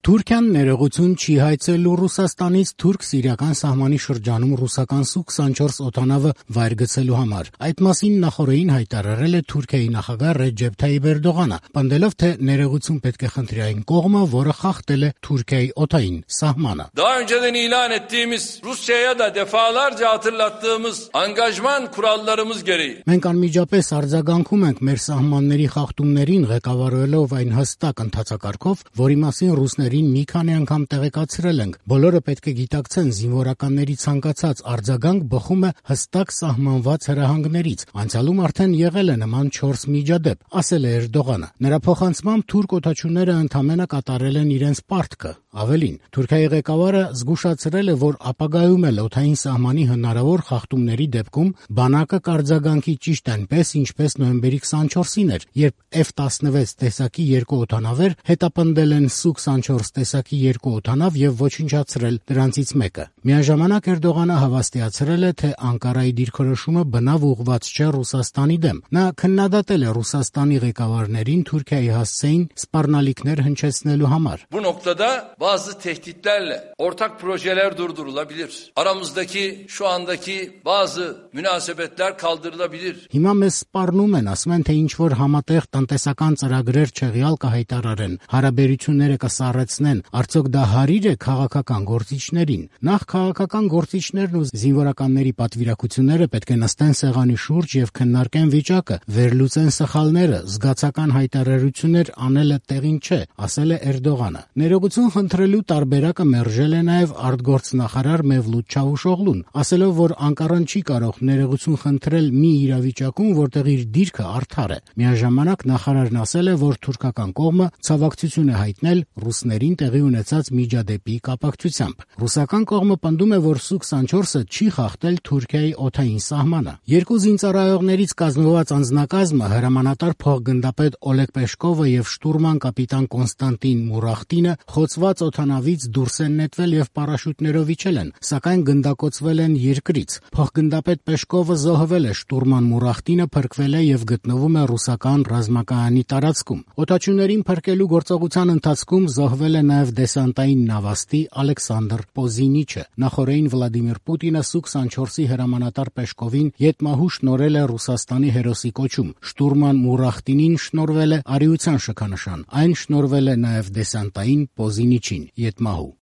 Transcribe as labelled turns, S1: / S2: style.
S1: Թուրքիան ներողություն չի հայցելու Ռուսաստանից թուրք-սիրիական սահմանի շրջանում ռուսական Su-24 օդանավը վայր գցելու համար։ Այդ մասին նախօրեին հայտարարել է Թուրքիայի նախագահ Ռեջեփ Թայիփ Էրդողանը, պնդելով, թե ներողություն պետք է խնդրի այն կողմը, որը խախտել է Թուրքիայի օդային սահմանը։
S2: Daha önceden ilan ettiğimiz Rusya'ya da defalarca hatırlattığımız angajman kurallarımız gereği.
S1: Մենք անմիջապես արձագանքում ենք մեր սահմանների խախտումներին, ղեկավարելով այն հստակ ընթացակարգով, որի մասին ռուսներին մի քանի անգամ տեղեկացրել ենք։ Բոլորը պետք է գիտակցեն, զինվորականների ցանկացած արձագանք բխում է հստակ սահմանված հրահանգներից։ Անցյալում արդեն եղել է նման 4 միջադեպ, ասել է Էրդողանը։ Նրա փոխանցմամբ թուրք օդաչուները ընդամենը կատարել են իրենց պարտքը։ Ավելին, Թուրքիայի ղեկավարը զգուշացրել է, որ ապագայում էլ օդային սահմանի հնարավոր խախտումների դեպքում բանակը կարձագանքի ճիշտ այնպես, ինչպես նոյեմբերի 24-ին էր, երբ F-16 տեսակի 2 օդանավեր հետապնդել են Su-24 տեսակի 2 օդանավ եւ ոչնչացրել դրանցից մեկը։ Միաժամանակ Էրդողանը հավաստիացրել է, թե Անկարայի դիրքորոշումը բնավ ուղղված չէ Ռուսաստանի դեմ։ Նա քննադատել է Ռուսաստանի ղեկավարներին Թուրքիայի հասցեին սպառնալիքներ հնչեցնելու համար։
S2: Bu noktada bazı tehditlerle ortak projeler durdurulabilir. Aramızdaki şu andaki bazı münasebetler kaldırılabilir.
S1: Հիմա մեզ սպառնում են, ասում են, թե ինչ-որ համատեղ տնտեսական ծրագրեր չեղյալ կհայտարարեն, հարաբերությունները կսառեցնեն, արդյոք դա հարիր է քաղաքական գործիչներին։ Նախ քաղաքական գործիչներն ու զինվորականների պատվիրակությունները պետք է նստեն սեղանի շուրջ եւ քննարկեն վիճակը, վերլուծեն սխալները, զգացական հայտարարություններ անելը տեղին չէ, ասել է Էրդողանը։ Ներողություն խնդրելու տարբերակը մերժել է նաեւ արտգործնախարար Մևլութ Չավուշօղլուն, ասելով, որ Անկարան չի կարող ներողություն խնդրել մի իրավիճակում, որտեղ իր դիրքը արդար է։ Միաժամանակ նախարարն ասել է, որ թուրքական կողմը ցավակցություն է հայտնել ռուսներին տեղի ունեցած միջադեպի կապակցությամբ։ Ռուսական կողմը պնդում է, որ Su-24-ը չի խախտել Թուրքիայի օդային սահմանը։ Երկու զինծառայողներից կազմված անձնակազմը հրամանատար փոխգնդապետ Օլեգ Պեշկովը եւ շտուրման կապիտան Կոնստանտին Մուրախտինը խոցված օդանավից դուրս են նետվել եւ պարաշուտներով իջել են, սակայն գնդակոծվել են երկրից։ Փոխգնդապետ Պեշկովը զոհվել է, շտուրման Մուրախտինը փրկվել է եւ գտնվում է ռուսական ռազմակայանի տարածքում։ Օդաչուներին փրկելու գործողության ընթացքում զոհվել է նաեւ դեսանտային նավաստի Ալեքսանդր Պոզինիչը։ Նախորդին Վլադիմիր Պուտինը Su-24-ի հրամանատար Պեշկովին ետմահու շնորհել է Ռուսաստանի հերոսի կոչում։ Շտուրման Մուրախտինին շնորհվել է արիության շքանշան։ Այն շնորհվել է նաեւ դեսանտային Պոզինիչին ետմահու։